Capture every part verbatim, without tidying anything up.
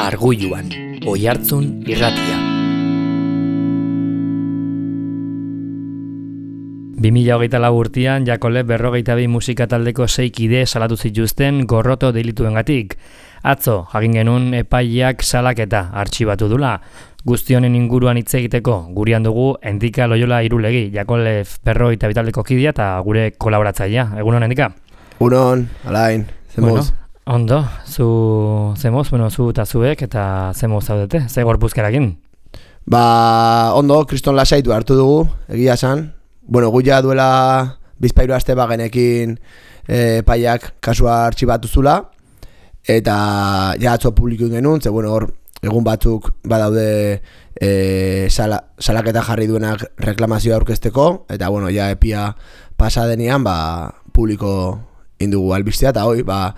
Argulluan, Oihartzun irratia. bi mila hogeita lau urtean Jakole berrogeita bi musika taldeko sei kide salatu zituzten gorroto delituengatik. Atzo, jakin genuen epaileak salaketa artxibatu dula. Guzti honen inguruan hitz egiteko gurean dugu Endika Loyola Irulegi, Jakole berrogeita bi taldeko kidea eta gure kolaboratzailea. Egunon, Endika? Egunon, alain, zemoz. Bueno, ondo, zu zemoz, bueno, zu eta zuek eta zemoz zaudete, ze gorpuzkerakin? Ba, ondo, kriston lasaitu hartu dugu, egia esan. Bueno, gu ja duela bizpairu aste bagenekin e, paiak kasua artxibatu zula, eta ja atzo publikoin genuen, ze bueno, hor egun batzuk badaude e, sala, salaketa jarri duenak reklamazioa aurkezteko, eta bueno, ja epia pasa denean, ba, publiko indugu albistea, eta hoi, ba,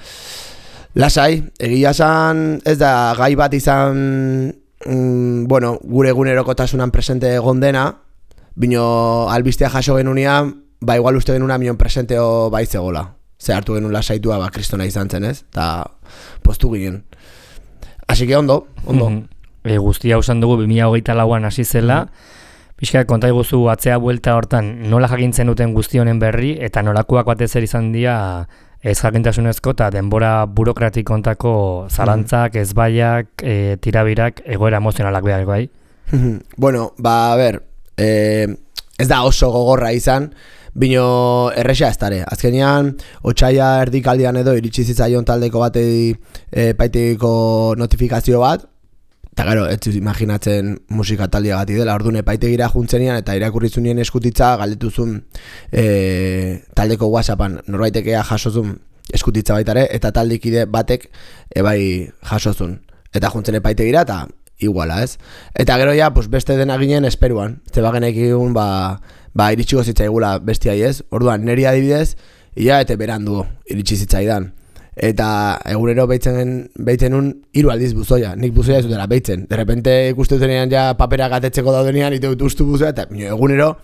lasai, egia esan ez da gai bat izan, mm, bueno, gure egunerokotasunan presente egon dena, bino albistea jaso genunean, ba igual uste genuna mion presenteo baitzegola. Ze hartu genuen lasaitua, ba kristona izan zen, ez? Eta postu ginen. Así que ondo, ondo. E, guztia usan dugu bi mila hogeita lauan hasi zela, pixka konta iguzu atzea buelta hortan nola jakintzen duten guzti honen berri, eta nolakoak batez ere izan dira ez jakintasunezko eta denbora burokratiko kontako zalantzak, ezbaiak, e, tirabirak, egoera emozionalak behar, bai? Bueno, ba, a ber, Eh, ez da oso gogorra izan, bino erresa ez dare. Azkenean, otsaia erdikaldian edo iritsi zitzaion taldeko batei e, paitegiko notifikazio bat, eta gero, ez imaginatzen musika taldea gati dela, orduan epaitegira juntzenian eta irakurrizunien eskutitza galdetuzun e, taldeko WhatsAppan norbaitekea jasozun eskutitza baitare, eta taldikide batek ebai jasozun. Eta juntzen epaitegira eta iguala, ez? Eta gero ja, pues beste dena ginen esperuan. Ze bagenek egun, ba, ba iritsiko zitzaigula bestiai, ez? Orduan, neri adibidez, ia eta berandu iritsi zitzaidan. Eta egunero beitzen beitzen un hiru aldiz buzoia. Nik buzoia ez dutela beitzen. De repente ikuste dutenean ja papera gatetzeko daudenean, ite dut ustu buzoia, eta egunero,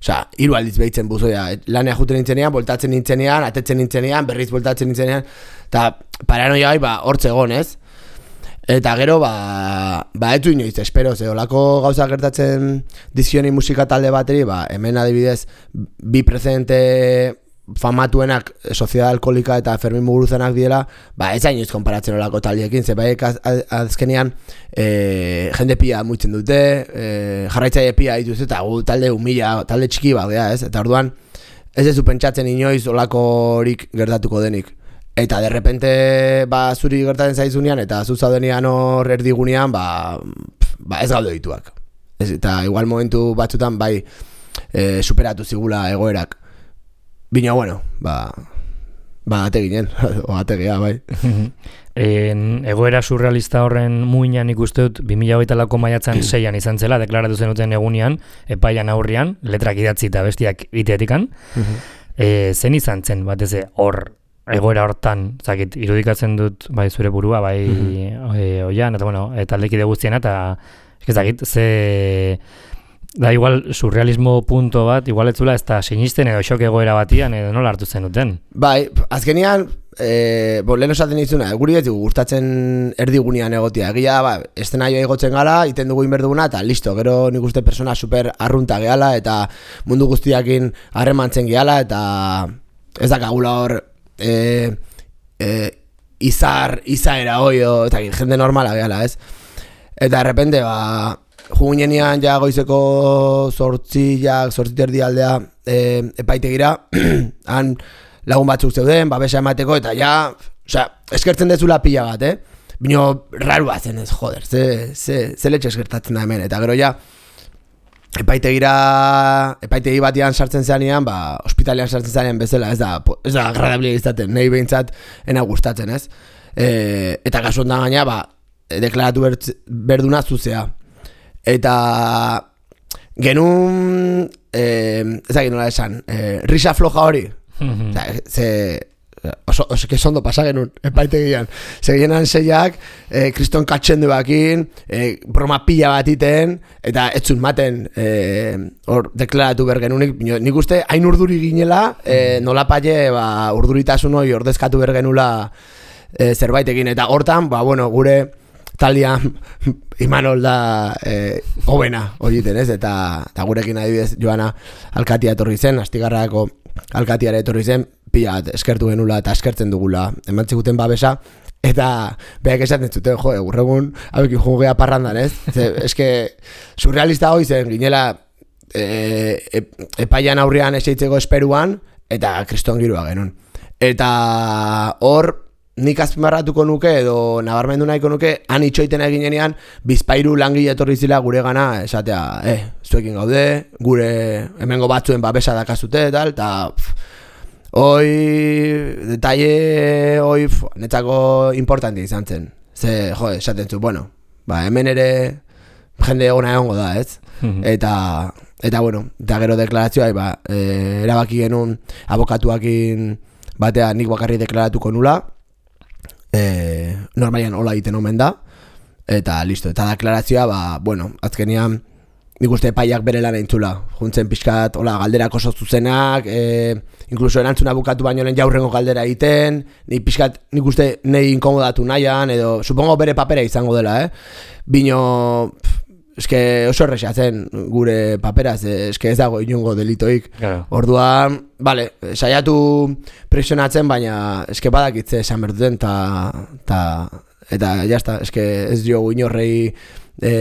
osea, hiru aldiz beitzen buzoia. Lanea juten nintzenean, voltatzen nintzenean, atetzen nintzenean, berriz voltatzen nintzenean, eta paranoia gai, ba, hortze egon, ez? Eta gero, ba, ba etu inoiz, espero, ze olako gauza gertatzen dizkioni musika talde bateri, ba, hemen adibidez, bi prezente famatuenak, Sociedad Alkoholika eta Fermin Muguruzanak diela, ba, ez inoiz konparatzen olako taldiekin, ze baik azkenean e, jende pia muitzen dute, e, jarraitzaile pia dituz, eta gu talde humila, talde txiki bat, ez? Eta orduan, ez ez du pentsatzen inoiz olakorik gertatuko denik. Eta derrepente ba, zuri gertatzen zaizunean eta zuzaudenean hor erdigunean ba, ba ez gaude dituak. Ez, eta igual momentu batzutan bai e, superatu zigula egoerak. Bina, bueno, ba, ba ate ginen, o ate gea, bai. En, egoera surrealista horren muinan ikuste dut bi mila hogeita lauko maiatzan seian izan zela, deklaratu zenuten egunean, epaian aurrian, letrak idatzi eta bestiak iteetikan. e, zen izan zen, batez hor, egoera hortan, zakit, irudikatzen dut bai zure burua, bai mm-hmm. e, oian, eta bueno, eta aldekide guztiena, eta ezakit, ze da igual surrealismo punto bat, igual ez zula ez da sinisten edo xok egoera batian edo nola hartu zen duten. Bai, azkenean, e, bo, lehen osaten izuna, guri ez dugu gustatzen erdigunean egotia, egia da, ba, estenaioa igotzen gala, iten dugu inberduguna, eta listo, gero nik uste persona super arrunta gehala, eta mundu guztiakin harremantzen gehala, eta ez dakagula hor E, e, izar, izaera oio, eta jende normala gehala, ez? Eta de repente, ba, jugunenean ja goizeko zortziak, zortziterdi aldea e, epaitegira, han lagun batzuk zeuden, babesa emateko, eta ja, osea, eskertzen dezula pila bat, eh? Bino, raru batzen ez, joder, ze, ze, ze letxe eskertatzen da hemen, eta gero ja, epaitegira, epaitegi batian sartzen zanean, ba, ospitalean sartzen zanean bezala, ez da, ez da agradablia izaten, nahi behintzat ena gustatzen, ez? E, eta kasu ondan gaina, ba, deklaratu bertz, berduna zuzea. Eta genuen, e, ez da nola esan, e, risa floja hori, mm-hmm. Oza, ze... Oso, oso que sondo pasa genuen epaitegian. Segienan seiak, eh, kriston katxendu bakin, eh, broma pila bat iten, eta ez zun maten eh, hor deklaratu bergenunik. Nik uste, hain urduri ginela, eh, nola paie ba, urduritasun hori ordezkatu bergenula eh, zerbaitekin. Eta hortan, ba, bueno, gure talian Imanol da eh, hobena horiten, ez? Eta, eta gurekin adibidez Joana alkatia etorri zen, Astigarrako alkatiara etorri zen, pila bat eskertu genula eta eskertzen dugula eman ziguten babesa, eta behak esaten zuten, jo, egurregun hauekin jugea parrandan, ez? Ze, eske, surrealista hoi zen, ginela e, e, epaian aurrean eseitzeko esperuan, eta kriston girua genuen. Eta hor, nik azpimarratuko nuke edo nabarmendu nahiko nuke han itxoiten egin genean bizpairu langile etorri zila gure gana esatea, eh, zuekin gaude, gure hemengo batzuen babesa dakazute eta eta hoi detalle hoi netzako importante izan zen. Ze, jo, esaten zu, bueno, ba, hemen ere jende egona egongo da, ez? Mm-hmm. Eta eta bueno, eta gero deklarazioa ba, e, erabaki genuen abokatuakin batean nik bakarri deklaratuko nula. Eh, normalian hola egiten omen da eta listo, eta deklarazioa ba, bueno, azkenean nik uste epaiak bere lan eintzula juntzen pixkat, hola, galderak oso zuzenak eh, inkluso erantzuna bukatu baino lehen jaurrengo galdera egiten nik pixkat, nik uste nahi inkomodatu nahian edo, supongo bere papera izango dela eh? Bino pff, eske oso erresa zen gure paperaz, eske ez dago inongo delitoik. Claro. Orduan, vale, saiatu presionatzen, baina eske badakitze esan berduten, ta, ta, eta jazta, eske ez diogu inorrei, e,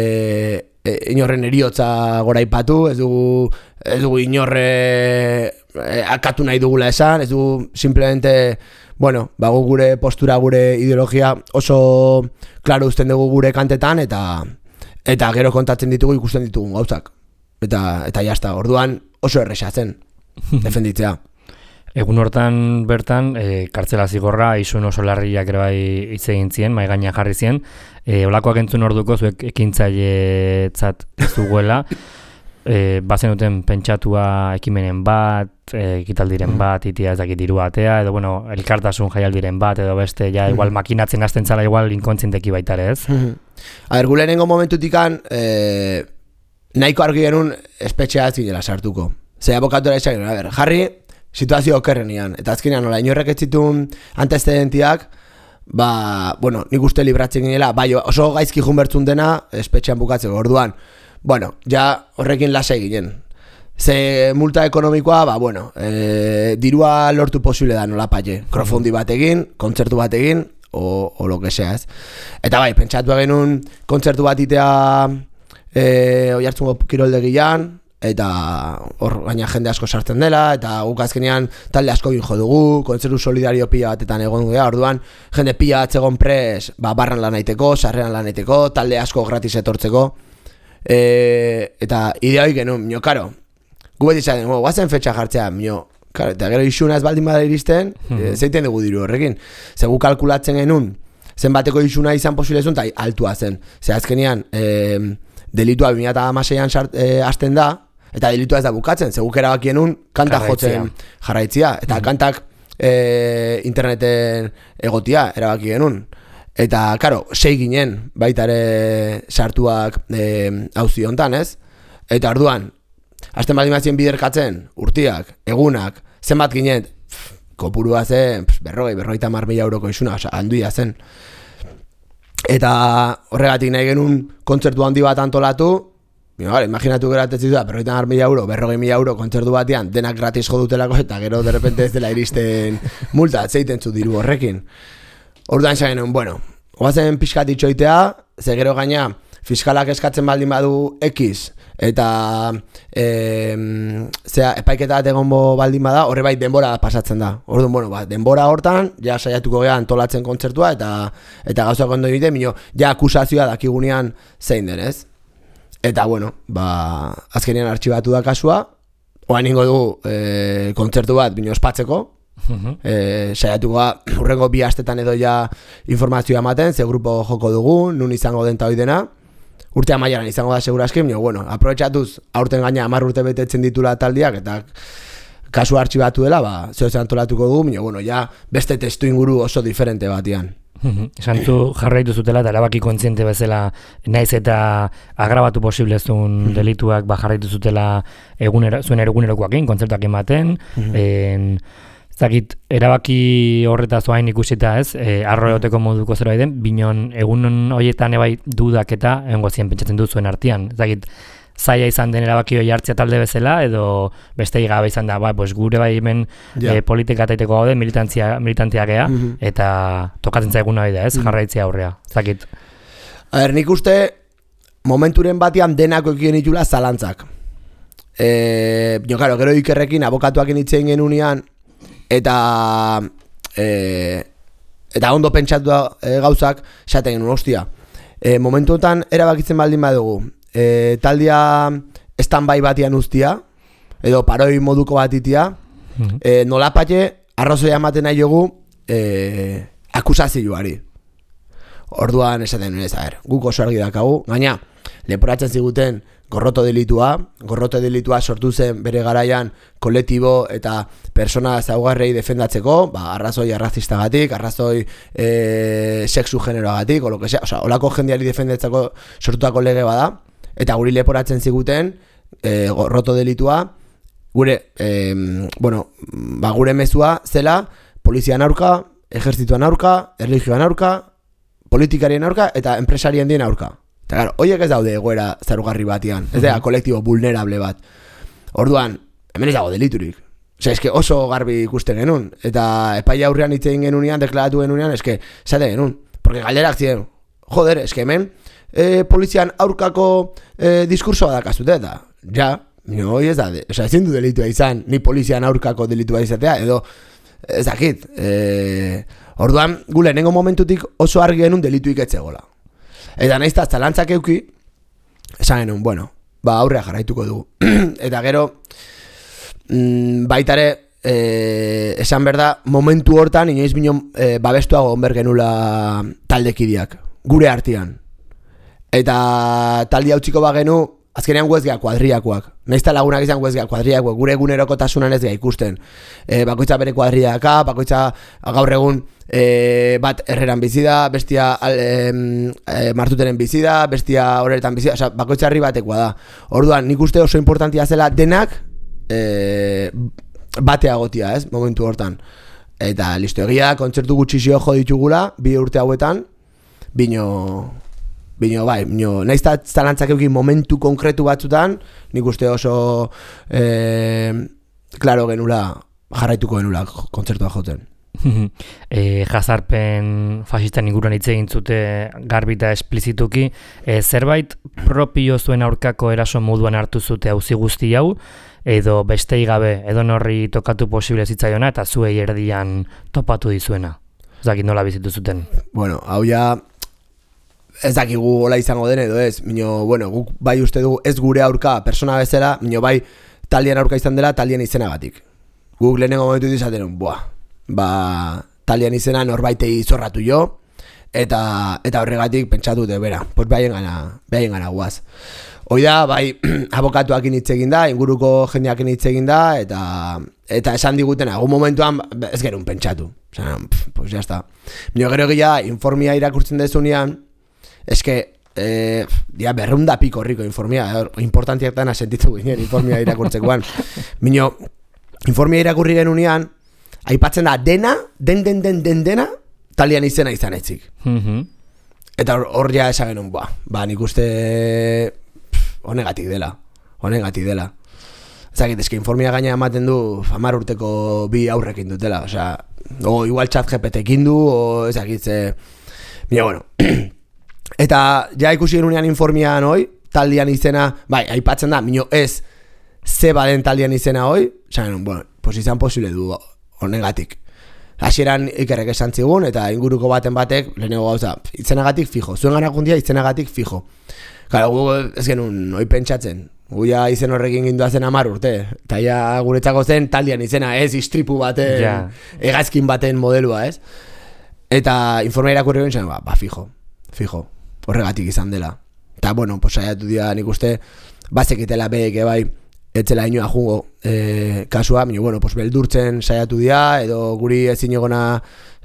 e, inorren eriotza goraipatu, ez dugu, ez dugu inorre e, akatu nahi dugula esan, ez dugu simplemente, bueno, bago gure postura, gure ideologia oso klaro uzten dugu gure kantetan, eta eta gero kontatzen ditugu ikusten ditugun gauzak. Eta eta jazta, orduan oso erresa zen defenditzea. Egun hortan bertan, e, kartzela zigorra, isun oso larriak ere bai hitz egin zien, mahai gainean jarri zien. E, olakoak entzun orduko zuek ekintzailetzat zuguela. E, bazen duten pentsatua ekimenen bat, e, ekitaldiren bat, itia ez dakit diru batea, edo bueno, elkartasun jaialdiren bat, edo beste, ja igual makinatzen hasten zala igual inkontzienteki baitare, ez? A ber, gulenengo momentutikan eh, nahiko argi genuen espetxea zinela sartuko. Zer abokatora esan genuen, a ber, jarri situazio okerrenian, eta azkenean nola inorrek ez zituen antecedentiak, ba, bueno, nik uste libratzen ginela, bai, oso gaizki junbertzun dena espetxean bukatzeko, orduan, bueno, ja horrekin lasai ginen. Ze multa ekonomikoa, ba, bueno, e, dirua lortu posible da nola paie, krofondi batekin, kontzertu batekin, o, o lo que sea, ez. Eta bai, pentsatu genuen kontzertu bat itea e, Oiartzungo kiroldegian, eta hor gaina jende asko sartzen dela, eta guk azkenean talde asko jo dugu, kontzertu solidario pila batetan egon gara, orduan jende pila bat zegoen pres, ba, barran lan aiteko, sarreran lan aiteko, talde asko gratis etortzeko, e, eta ideoi genuen, mio, karo, gu beti zaten, guazen fetxa jartzea, mio, karo, eta gero isuna ez baldin bada iristen, mm-hmm. zeiten dugu diru horrekin. Zegu kalkulatzen genuen, zenbateko isuna izan posibilezun, eta altua zen. Zer azkenean, e, delitua bi mila hamaseian e, hasten da, eta delitua ez da bukatzen, zegu erabaki genuen kanta jotzen jarraitzia, eta mm-hmm. kantak e, interneten egotia erabaki genuen. Eta, karo, sei ginen baitare sartuak e, auzi hontan, ez? Eta orduan, hasten baldin bazien biderkatzen, urtiak, egunak, zenbat ginen, pff, kopurua zen, pff, berrogei, berrogeita hamar mila euroko isuna, oza, handia zen. Eta horregatik nahi genuen kontzertu handi bat antolatu, Bino, vale, imaginatu geratzen da, berrogeita hamar mila euro, berrogei mila euro kontzertu batean, denak gratis jo dutelako, eta gero de repente ez dela iristen multa, zeiten zu diru horrekin. Orduan esan genuen, bueno, oazen pixkat itxoitea, ze gero gaina, fiskalak eskatzen baldin badu X, eta e, zera, epaiketa bat egon baldin bada, horre bai denbora pasatzen da. Orduan, bueno, ba, denbora hortan, ja saiatuko geha antolatzen kontzertua, eta eta gauzak ondo egiten, mino, ja akusazioa dakigunean zein denez. Eta, bueno, ba, azkenean artxibatu da kasua, oan ingo dugu e, kontzertu bat bino ospatzeko, uh-huh. e, saiatuko urrengo bi astetan edo ja informazioa ematen, ze grupo joko dugu, nun izango den ta hoi dena, urte amaieran izango da segurazki, baina, bueno, aprobetxatuz aurten gaina hamar urte betetzen ditula taldiak, eta kasu artxibatu dela, ba, zeo antolatuko dugu, baina, bueno, ja beste testu inguru oso diferente batian. Esan zu jarraitu zutela eta erabaki kontziente bezala naiz eta agrabatu posible zuen delituak ba jarraitu zutela egunera, zuen egunerokoakin, kontzertuak ematen, mm-hmm. en, Zakit, erabaki horretaz oain ikusita ez, e, arro egoteko moduko zerbait den, binon egun horietan ebai dudak eta engozien pentsatzen duzuen artean. Zakit, zaila izan den erabaki hori hartzea talde bezala, edo beste gabe izan da, ba, pues, gure bai hemen yeah. e, politika taiteko gaude, militantzia, militantzia gea, mm-hmm. eta tokatzen zaiguna bida ez, mm-hmm. jarraitzea aurrea. Zakit. A ber, nik uste momenturen batean denako ekien itula zalantzak. E, jo, karo, gero Ikerrekin abokatuakin itzein genunean, eta e, eta ondo pentsatu e, gauzak esaten genuen, ostia. E, momentuetan erabakitzen baldin badugu, e, taldia stand-by batian ustia, edo paroi moduko bat itia, mm-hmm. e, nolapate arrazoia ematen nahi jogu e, akusazioari. Orduan esaten nuen ez, a ber, guk oso argi dakagu, gaina, leporatzen ziguten gorroto delitua, gorroto delitua sortu zen bere garaian kolektibo eta persona zaugarrei defendatzeko, ba, arrazoi arrazistagatik, arrazoi e, sexu generoagatik, o lo que sea, o sea, olako jendeari defendatzeko sortutako lege bada, eta guri leporatzen ziguten e, gorroto delitua, gure, e, bueno, ba, gure mezua zela, polizian aurka, ejertzituan aurka, erlijioan aurka, politikarien aurka eta enpresarien dien aurka. Eta claro, horiek ez daude egoera zarugarri batian, ez da, kolektibo vulnerable bat. Orduan, hemen ez dago deliturik. Osea, eske oso garbi ikusten genuen, eta epaia aurrean hitzein genunean, deklaratu genunean, eske, esate genuen. Porque galderak ziren, joder, eske hemen, e, polizian aurkako e, diskursoa dakazute, eta, ja, no, hoi ez da, de, osea, ezin du delitua izan, ni polizian aurkako delitua izatea, edo, ez dakit, e, orduan, gu lehenengo momentutik oso argi genuen delituik etzegola. Eta naizta zalantzak euki, esan genuen, bueno, ba aurrea jarraituko dugu. Eta gero, mm, baitare, e, esan berda, momentu hortan, inoiz bino e, babestuago onber genula taldekideak, gure artean. Eta taldi hautziko bagenu, azkenean guezgea kuadriakoak. Naizta lagunak izan guezgea kuadriakoak, gure egunerokotasunan ez gea ikusten. E, bakoitza bere kuadriaka, bakoitza gaur egun e, bat erreran bizida, bestia al, e, e, martuteren bizida, bestia horretan bizida, oza, bakoitza herri batekoa da. Orduan, nik uste oso importantia zela denak e, batea gotia, ez, momentu hortan. Eta listo, egia, kontzertu gutxizio jo ditugula, bi urte hauetan, bino... Bino, bai, bino, nahiz eta zalantzak eukin momentu konkretu batzutan, nik uste oso e, klaro genula, jarraituko genula kontzertua joten. e, jazarpen fasisten inguruan hitz egin zute garbita esplizituki, e, zerbait propio zuen aurkako eraso moduan hartu zute auzi guzti hau, edo bestei gabe, edo norri tokatu posible zitzaiona, eta zuei erdian topatu dizuena. Zakit nola bizitu zuten. Bueno, hau ja... Ez dakigu hola izango den edo ez, mino, bueno, guk bai uste dugu ez gure aurka persona bezala, mino bai taldean aurka izan dela taldean izenagatik. Guk lehenengo momentu izaten, buah, ba, taldean izena norbaitei zorratu jo, eta eta horregatik pentsatu dut, bera, pues behaien gana, behaien gana guaz. Hoi da, bai, abokatuakin hitz egin da, inguruko jendeakin hitz egin da, eta eta esan diguten, agun momentuan ez gerun pentsatu. Osea, pues ya está. Mino gero egia, informia irakurtzen dezunean, eske, eh, dia berrunda piko horriko informia, importantiak dana sentitu ginen informia irakurtzekoan. Mino, informia irakurri genunean, aipatzen da dena, den den den den dena, talian izena izan etzik. Mm-hmm. Eta hor ja esan genuen, ba, ba nik uste honegatik dela, honegatik dela. Ezagit, eske informia gaina ematen du hamar urteko bi aurrekin dutela, osea, o igual chat G P T-ekin du, o ezagit, ze... Mira, bueno... Eta ja ikusi genunean informian hoi, taldean izena, bai, aipatzen da, mino ez ze baden taldean izena hoi, esan, bueno, pues izan posible du honegatik. Hasieran Ikerrek esan zigun, eta inguruko baten batek, lehenengo gauza, izenagatik fijo, zuen ganakundia izenagatik fijo. Claro, gu ez genuen, hoi pentsatzen, gu ja izen horrekin gindua zen hamar urte, eta ja guretzako zen taldean izena, ez istripu baten, yeah. Hegazkin baten modelua, ez? Eta informa irakurri guen, ba, ba, fijo, fijo. Horregatik izan dela. Eta, bueno, pues saiatu dira nik uste bazekitela beek bai etzela inoa jungo e, kasua, minu, bueno, pues beldurtzen saiatu dira, edo guri ezin egona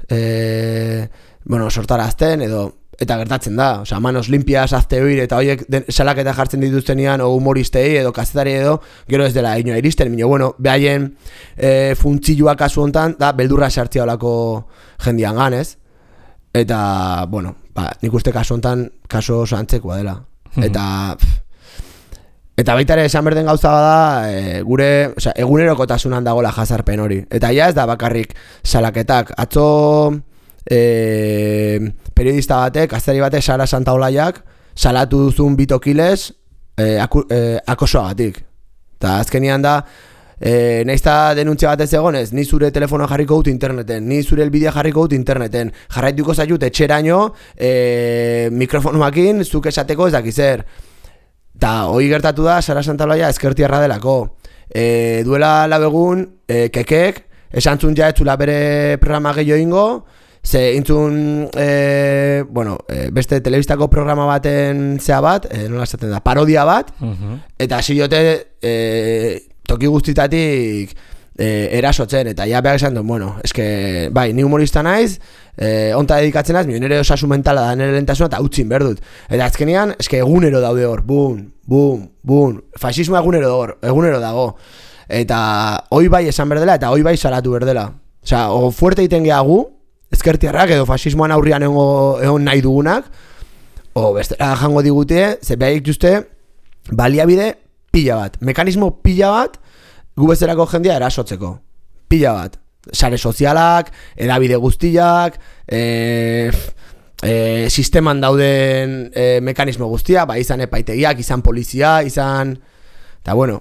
e, bueno, sortarazten, edo eta gertatzen da, osea, manos limpias, hazte oir, eta horiek salaketa jartzen dituztenean, o humoristei edo kazetari edo, gero ez dela inoa iristen, bino, bueno, behaien e, funtzilua kasu hontan, da, beldurra sartzia olako jendian ganez, eta, bueno, ba, nik uste kasu hontan, kasu oso antzekoa dela, eta... Eta baita ere esan berden gauza bada, e, gure, osea, egunerokotasunan dagoela jazarpen hori. Eta ja ez da bakarrik salaketak. Atzo e, periodista batek, gazteri batek, Sara Santaolaiak, salatu duzun bitokiles e, aku, e, akosoagatik. Eta azkenian da, e, naizta denuntzia bat ez egonez, ni zure telefonoa jarriko dut interneten, ni zure elbidea jarriko dut interneten, jarraituko zaitut etxeraino e, mikrofonoakin, zuk esateko ez dakizer. Eta hori gertatu da, Sara Santaolaia ezkertiarra delako. E, duela lau egun, e, kekek, esantzun ja etzula bere programa gehiago ingo, ze intzun, e, bueno, e, beste telebistako programa baten zea bat, e, nola esaten da, parodia bat, uh-huh. Eta hasi jote e, toki guztitatik e, erasotzen, eta ja behar esan duen, bueno, eske, bai, ni humorista naiz, Eh, onta dedikatzen az, nire osasun mentala da, nire lentasuna eta utzin berdut. Eta azkenean, eske egunero daude hor, bum, bum, bum, fasismoa egunero hor, egunero dago. Eta hoi bai esan berdela, eta hoi bai salatu berdela. Osea, o fuerte iten gehagu, ezkertiarrak edo fasismoan aurrian egon nahi dugunak, o bestera jango digute, ze behar dituzte, baliabide pila bat, mekanismo pila bat, gu bezerako jendia erasotzeko, pila bat. Sare sozialak, edabide guztiak, e, e, sisteman dauden e, mekanismo guztia, ba, izan epaitegiak, izan polizia, izan... Eta bueno,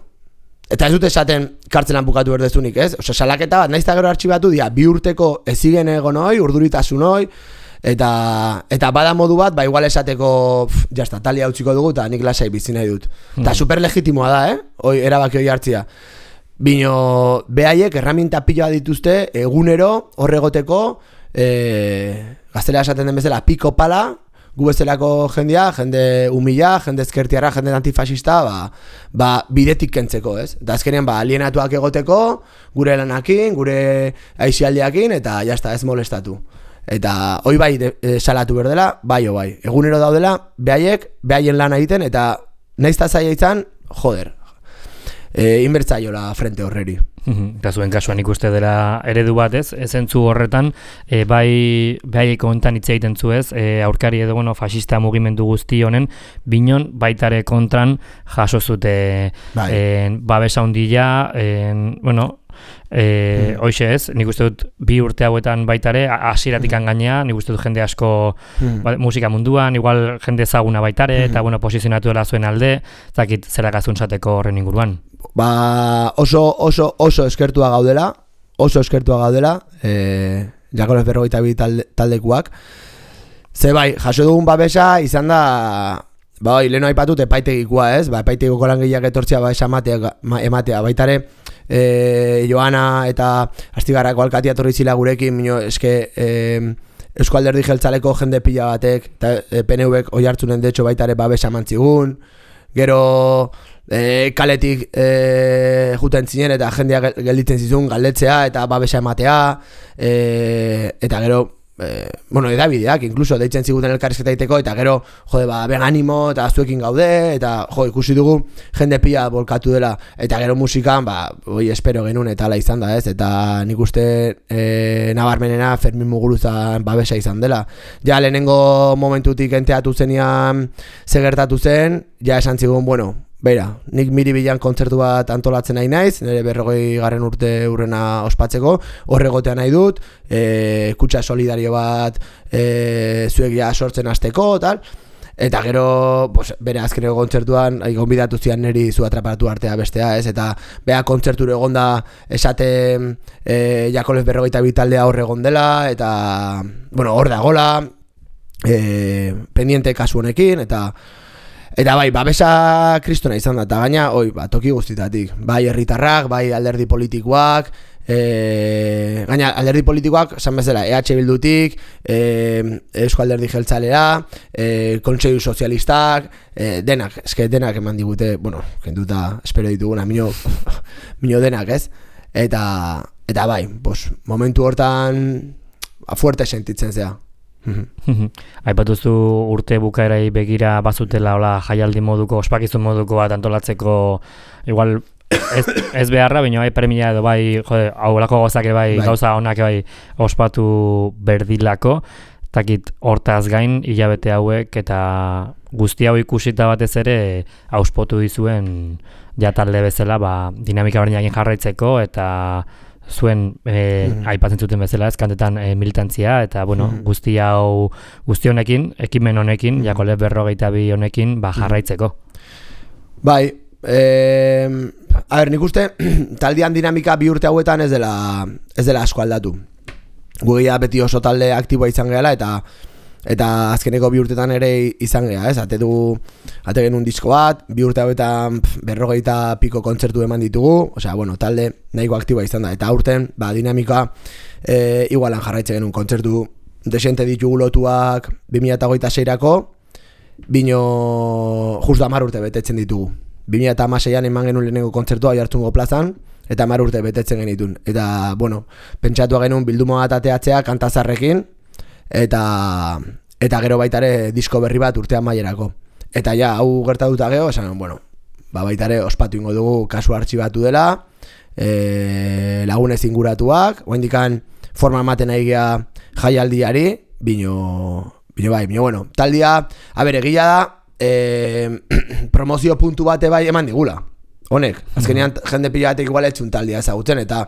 eta ez dut esaten kartzelan bukatu berdezunik, ez? Osa, salaketa bat, naizta gero artxibatu dira, bi urteko ezigen egon hoi, urduritasun hoi, eta, eta bada modu bat, ba, igual esateko, pff, jazta, talia utziko dugu, eta nik lasai bizi nahi dut. Eta hmm. super legitimoa da, eh? Hoi, erabaki hoi hartzia. Bino, behaiek erraminta pila dituzte egunero horregoteko e, gaztelera esaten den bezala piko pala, gu bezalako jendia, jende humila, jende ezkertiarra, jende antifasista, ba, ba bidetik kentzeko, ez? Eta azkenean ba, alienatuak egoteko, gure lanakin, gure aizialdiakin, eta jazta ez molestatu. Eta hoi bai de, e, salatu berdela, bai o bai. Egunero daudela, behaiek, behaien lana egiten, eta naizta zaila izan, joder, E, inbertzaiola frente horreri. Eta zuen kasuan ikuste dela eredu bat ez, ezentzu horretan, e, bai behaiko hontan hitz egiten zu ez, e, aurkari edo bueno, fasista mugimendu guzti honen, binon baitare kontran jaso zute bai. e, babesa hundila, e, bueno, E, hmm. Hoxe ez, nik uste dut bi urte hauetan baitare, hasieratik hmm. gainea, nik uste dut jende asko hmm. ba, musika munduan, igual jende ezaguna baitare, hmm. eta bueno, posizionatu dela zuen alde, zakit zerakazun zateko horren inguruan. Ba, oso, oso, oso eskertua gaudela, oso eskertua gaudela, e, Jakoles berrogeita bi talde, taldekuak. Ze bai, jaso dugun babesa izan da, ba, leheno aipatut epaitegikoa ez, ba, epaitegiko langileak etortzea ba, ematea, ematea, baitare, E, Joana eta Astigarrako alkatia torri zila gurekin, mino, eske e, Eusko Alderdi Jeltzaleko jende pila batek, eta e, P N Vek oi hartzunen detxo baita ere babesa mantzigun, gero e, kaletik e, juten zinen eta jendea gelditzen zizun galdetzea eta babesa ematea, e, eta gero Eh, bueno, edabideak, incluso deitzen ziguten elkarrizketa egiteko, eta gero, jode, ba, ben animo, eta zuekin gaude, eta jo, ikusi dugu jende pila bolkatu dela, eta gero musikan, ba, oi, espero genuen eta ala izan da, ez, eta nik uste e, nabarmenena Fermin Muguruzan babesa izan dela. Ja, lehenengo momentutik enteatu zenean zegertatu zen, ja esan zigun, bueno, beira, nik Miribilan kontzertu bat antolatzen nahi naiz, nire berrogei garren urte urrena ospatzeko, horregotea nahi dut, e, kutsa solidario bat e, zuek ja sortzen hasteko, tal, eta gero, pues, bere azkeneko kontzertuan, gonbidatu zian niri zu atraparatu artea bestea, ez, eta beha kontzerturo egonda esate e, Jakoles berrogeita bi taldea hor egon dela, eta, bueno, hor dagola, e, pendiente kasu honekin, eta Eta bai, babesa kristona izan da, eta gaina, oi, ba, toki guztitatik. Bai herritarrak, bai alderdi politikoak, e, gaina alderdi politikoak, esan bezala, E H Bildutik, e, Eusko Alderdi Jeltzalea, e, Kontseilu Sozialistak, e, denak, eske denak eman digute, bueno, kenduta espero dituguna, mino, mino denak, ez? Eta, eta bai, pues, momentu hortan, fuerte sentitzen zea. Aipatuzu urte bukaerai begira bazutela hola jaialdi moduko, ospakizun moduko bat antolatzeko, igual ez, ez beharra, baina bai premia edo bai, jode, haulako gozak bai, bai, gauza honak bai ospatu berdilako, takit hortaz gain hilabete hauek eta guzti hau ikusita batez ere auspotu dizuen ja talde bezala ba, dinamika berdinakin jarraitzeko eta zuen e, mm-hmm. aipatzen zuten bezala ezkantetan e, militantzia eta bueno, mm-hmm. guzti hau guzti honekin, ekimen honekin, mm-hmm. Jakole berrogeita bi honekin ba, jarraitzeko. Bai, eh, a ber, nik uste taldean dinamika bi urte hauetan ez dela, ez dela asko aldatu. Gugia beti oso talde aktiboa izan gehala eta eta azkeneko bi urtetan ere izan geha, ez? Ate dugu, ate genuen disko bat, bi urte hauetan berrogeita piko kontzertu eman ditugu, osea, bueno, talde nahiko aktiboa izan da, eta aurten, ba, dinamika e, igualan jarraitzen genuen kontzertu desente ditugu lotuak bi mila hogeita seirako, bino justu hamar urte betetzen ditugu. bi mila hamaseian eman genuen lehenengo kontzertua Oiartzungo plazan, eta hamar urte betetzen genitun. Eta, bueno, pentsatua genuen bilduma bat ateatzea kantazarrekin, eta eta gero baitare disko berri bat urtean maierako. Eta ja, hau gertatuta geho, esan, bueno, ba baitare ospatu ingo dugu kasu artxibatu dela, e, lagunez inguratuak, oendikan forma ematen nahi geha jaialdiari, bino, bino bai, bino, bueno, taldia, a ber, egia da, e, promozio puntu bate bai eman digula. Honek, azkenean jende pila batek igual etxun taldia ezagutzen, eta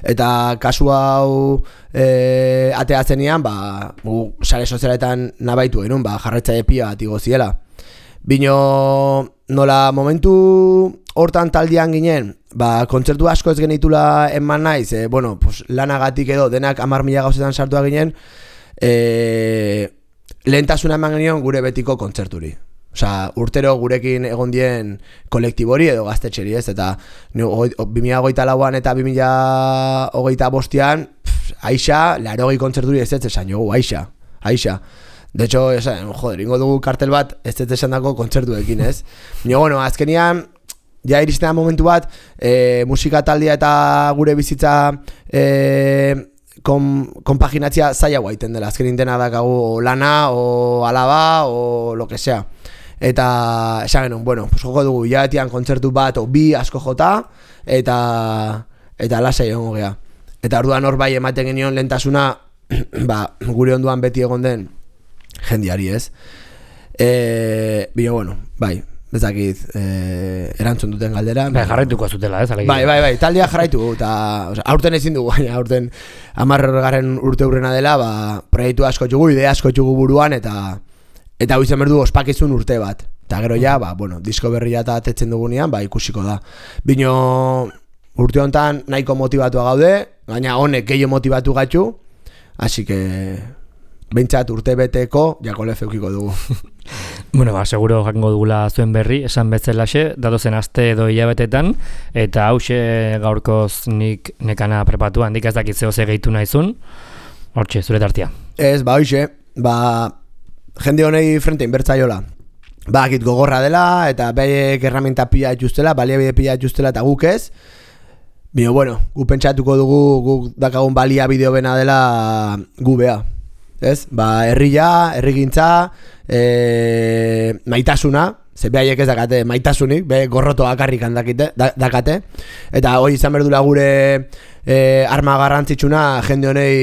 eta kasu hau e, ateatzenean, ba, gu sare sozialetan nabaitu genuen, ba, jarraitzaile pila bat igo ziela. Bino, nola momentu hortan taldean ginen, ba, kontzertu asko ez genitula eman naiz, e, bueno, pues, lanagatik edo denak hamar mila gauzetan sartua ginen, e, lehentasuna eman genion gure betiko kontzerturi. Osa, urtero gurekin egon dien kolektibori edo gaztetxeri, ez? Eta bi mila hogeita lauan eta bi mila hogeita bostean, Aixa, larogei kontzerturi ez ez esan jogu, Aixa, Aixa. De hecho, esan, joder, ingo dugu kartel bat ez ez esan dako kontzertuekin, ez? Nio, bueno, azkenian, ja iristen da momentu bat, e, musika taldea eta gure bizitza e, kon, konpaginatzia zaila guaiten dela. Azkenin dena dakagu lana, o alaba, o lo que sea. Eta esan genuen, bueno, pues joko dugu hilabetian kontzertu bat o bi asko jota eta eta lasai egongo gea. Eta orduan hor bai ematen genion lehentasuna ba, gure onduan beti egon den jendiari, ez? Eh, bino, bueno, bai, bezakit eh, erantzun duten galdera. Bai, jarraituko zutela, ez? Alegia. Bai, bai, bai, taldea jarraitu eta o sea, aurten ezin dugu, baina aurten hamargarren urte hurrena dela, ba, proiektu asko txugu, idea asko txugu buruan eta Eta hau izan berdu ospakizun urte bat. Eta gero ja, ba, bueno, disko berria eta atetzen dugunean, ba, ikusiko da. Bino urte honetan nahiko motibatua gaude, gaina honek gehiago motivatu gatzu, hasi que behintzat urte beteko Jakole feukiko dugu. Bueno, ba, seguro jakingo dugula zuen berri, esan betzelaxe, datozen aste edo hilabetetan, eta hause gaurkoz nik nekana prepatu, handik ez dakit zehose gehitu nahizun, hortxe, zure tartia. Ez, ba, hoxe, ba, jende honei frente inbertzaiola. Ba, akit gogorra dela, eta behek erramenta pila etxustela, baliabide pila etxustela eta guk ez. Bino, bueno, gu pentsatuko dugu, guk dakagun baliabideo bena dela gu bea. Ez? Ba, herria, herrigintza, e, maitasuna, ze behaiek ez dakate maitasunik, be gorroto akarrik handakite, dakate. Eta hoi izan berdula gure e, arma garrantzitsuna jende honei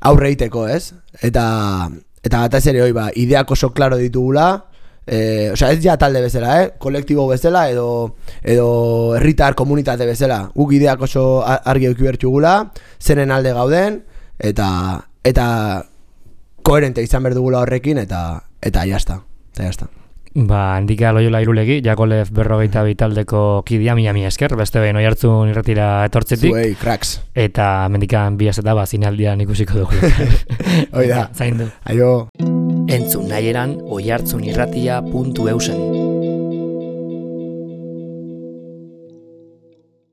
aurre egiteko, ez? Eta... Eta batez ere hoi, ba, ideak oso klaro ditugula, e, osea, ez ja talde bezala, eh? Kolektibo bezala, edo edo herritar komunitate bezala. Guk ideak oso argi eduki bertugula, zenen alde gauden, eta eta koherente izan berdugula horrekin, eta eta jazta, eta jazta. Ba, handika Loiola Irulegi, Jakole berrogeita bi taldeko kidia, mila mila esker, beste behin Oiartzun irratira etortzetik. Zuei, cracks. Eta mendikan bi azeta, ba, zinaldian ikusiko dugu. Oida, zaindu. Aio. Entzun nahi eran oiartzunirratia puntu eusen.